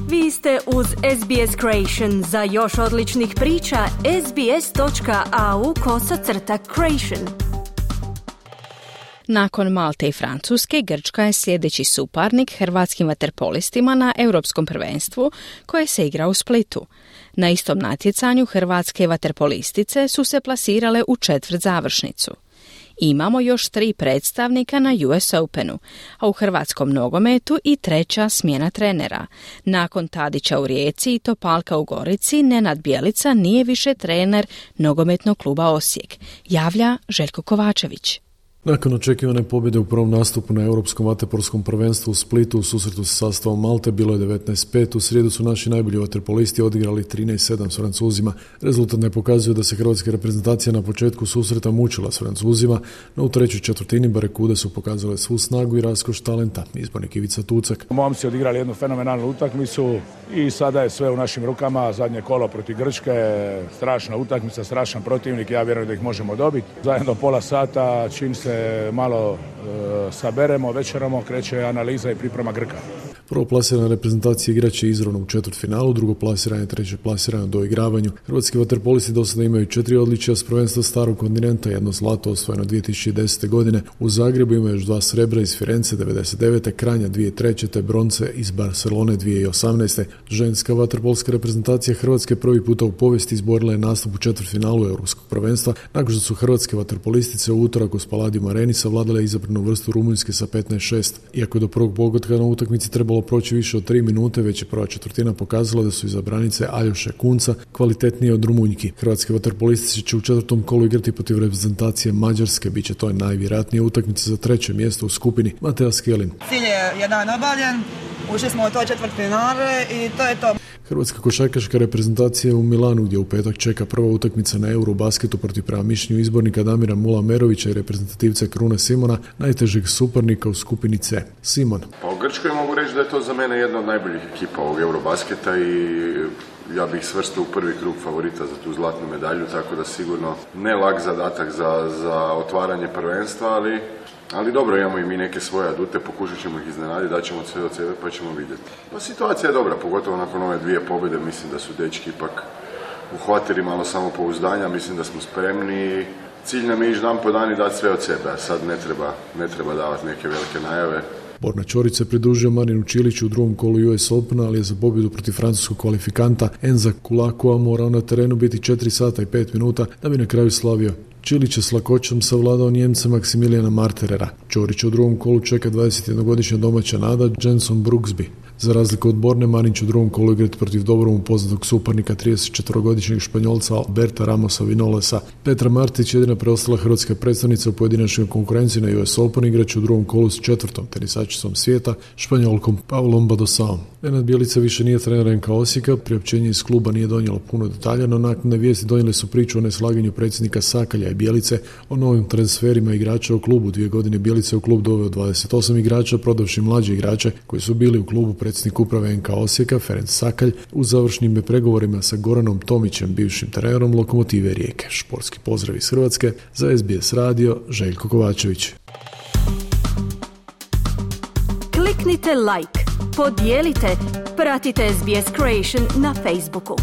Vi ste uz SBS Creation. Za još odličnih priča, sbs.au/creation. Nakon Malte i Francuske, Grčka je sljedeći suparnik hrvatskim vaterpolistima na Europskom prvenstvu koje se igra u Splitu. Na istom natjecanju hrvatske vaterpolistice su se plasirale u četvrtzavršnicu. Imamo još 3 predstavnika na US Openu, a u hrvatskom nogometu i 3. smjena trenera. Nakon Tadića u Rijeci i Topalka u Gorici, Nenad Bjelica nije više trener nogometnog kluba Osijek, javlja Željko Kovačević. Nakon očekivane pobjede u prvom nastupu na Europskom vaterpolskom prvenstvu u Splitu u susretu sa sastavom Malte bilo je 19:5. U srijedu su naši najbolji vaterpolisti odigrali 13:7 s Francuzima. Rezultat ne pokazuje da se hrvatska reprezentacija na početku susreta mučila s Francuzima, no u trećoj četvrtini barekude su pokazale svu snagu i raskoš talenta, izbornik Ivica Tucak. Momci odigrali jednu fenomenalnu utakmicu i sada je sve u našim rukama. Zadnje kolo protiv Grčke, strašna utakmica, strašan protivnik, ja vjerujem da ih možemo dobiti. Zajedno pola sata, čim se malo saberemo, večeramo, kreće analiza i priprema Grka. Prvoplasirana reprezentacija igraće izravno u četvrtfinalu, drugoplasirana, treće plasirana do igravanju. Hrvatski vaterpolisti do sada imaju 4 odličja s prvenstva starog kontinenta, 1 zlato osvojeno 2010. godine. U Zagrebu imaju još 2 srebra iz Firence 99. Kranja 2003. te bronce iz Barcelone 2018. Ženska vaterpolska reprezentacija Hrvatske prvi puta u povijesti izborila je nastup u četvrtfinalu Europskog prvenstva, nakon što su hrvatske vaterpolistice u utorak u Spaladium Areni savladale izabranu vrstu Rumunjske sa 15:6. Iako do prvog pogotka na utakmici trebalo proći više od 3 minute, već je prva četvrtina pokazala da su izabranice Aljoše Kunca kvalitetnije od Rumunjki. Hrvatske vaterpolistice će u četvrtom kolu igrati protiv reprezentacije Mađarske, bit će to najvjerojatnije utakmica za 3. mjesto u skupini. Mateja Skelin. Cilj je jedan obavljen, ušli smo u to četvrtfinale i to je to. Hrvatska košarkaška reprezentacija je u Milanu, gdje u petak čeka prva utakmica na Eurobasketu protiv, prema mišljenju izbornika Damira Mula-Merovića i reprezentativca Krune Simona, najtežeg suparnika u skupini C. Simon. Pa u Grčkoj mogu reći da je to za mene jedna od najboljih ekipa ovog Eurobasketa i ja bih svrstao u prvi krug favorita za tu zlatnu medalju, tako da sigurno ne lak zadatak za otvaranje prvenstva, ali dobro, imamo i mi neke svoje adute, pokušat ćemo ih iznenaditi, daćemo sve od sebe pa ćemo vidjeti. No, situacija je dobra, pogotovo nakon ove 2 pobjede, mislim da su dečki ipak uhvatili malo samopouzdanja, mislim da smo spremni. Cilj nam je ići dan po dan i dati sve od sebe, a sad ne treba davati neke velike najave. Borna Ćorić se pridružio Marinu Čiliću u drugom kolu US Opena, ali je za pobjedu protiv francuskog kvalifikanta Enza Kulakova morao na terenu biti 4 sata i 5 minuta da bi na kraju slavio. Čilić je s lakoćom savladao Njemca Maksimilijana Marterera. Ćorić u drugom kolu čeka 21-godišnja domaća nada Jenson Brooksby. Za razliku od Borne, Marin će u drugom kolu igrati protiv dobrom poznatog suparnika 34-godišnjeg Španjolca Alberta Ramosa Vinolesa. Petra Martić, jedina preostala hrvatska predstavnica u pojedinačnoj konkurenciji na US Open, igraće u drugom kolu s 4. tenisačicom svijeta, Španjolkom Paulom Badosaom. Nenad Bjelica više nije trener NK Osijeka, priopćenje iz kluba nije donijelo puno detalja, no naknadne vijesti donijele su priču o neslaganju predsjednika Sakalja i Bjelice o novim transferima igrača u klubu. 2 godine Bjelica u klub doveo 28 igrača, prodavši mlađe igrače koji su bili u klubu. Predsjednik uprave NK Osijeka, Ferenc Sakalj, u završnim pregovorima sa Goranom Tomićem, bivšim trenerom Lokomotive Rijeke. Športski pozdrav iz Hrvatske, za SBS radio, Željko Kovačević. Kliknite like, podijelite, pratite SBS Creation na Facebooku.